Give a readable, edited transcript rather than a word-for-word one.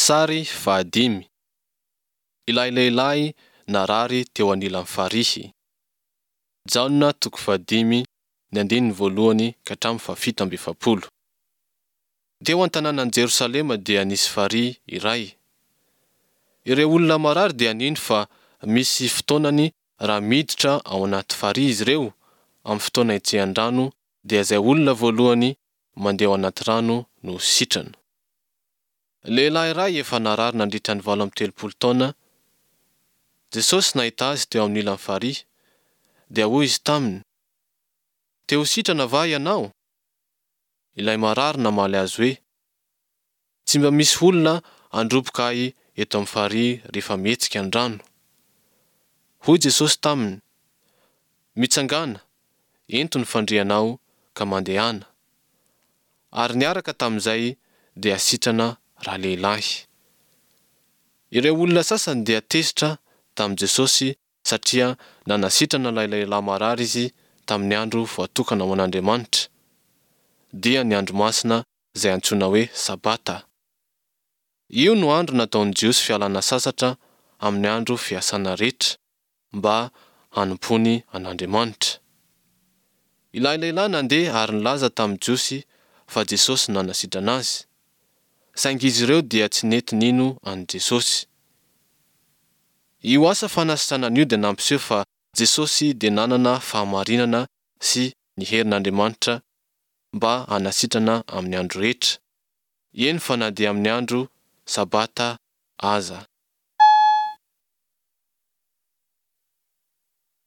Sary fahadimy. Ilay lehilahy narary teo anilan'ny farihy. Jaona toko fahadimy ny andininy voalohany ka hatramin'ny fahafito amby efapolo. Teo an-tanànan'i Jerosalema dia nisy farihy iray. Ireo olona marary dia nino fa misy fotoanany raha miditra ao anaty farihy izy ireo amin'ny fotoana hetsehan-drano dia izay olona voalohany mandeha ao anaty rano no ho sitrana. Lehilahy iray efa narary nandritra ny 38 taona, Jesosy nahita azy teo amin'ny ilan'ny farihy, dia hoy izy taminy, Te ho sitrana va ianao? Ilay marary namaly azy hoe, Tsy mba misy olona handroboka ahy eto amin'ny farihy rehefa mihetsika ny rano. Hoy Jesosy taminy, Mitsangàna, ento ny fandrianao ka mandehana. Ary niaraka tamin'izay dia sitrana ralehilahy. Ireo olona sasany dia tezitra tamin'i Jesosy satria nanasitrana ilay lehilahy marary izy tamin'ny andro voatokana ho an'Andriamanitra, dia ny andro masina izay antsoina hoe Sabata. Io no andro nataon'ny Jiosy fialana sasatra amin'ny andro fiasana rehetra, mba hanompoany an'Andriamanitra. Ilay lehilahy nandeha ary nilaza tamin'ny Jiosy fa Jesosy no nanasitrana azy. Saingy izy ireo dia tsy nety nino an'i Jesosy. Io asa fanasitranana io dia nampiseho fa Jesosy dia nanana fahamarinana sy ny herin'Andriamanitra mba hanasitrana amin'ny andro rehetra, eny fa na dia amin'ny andro Sabata aza.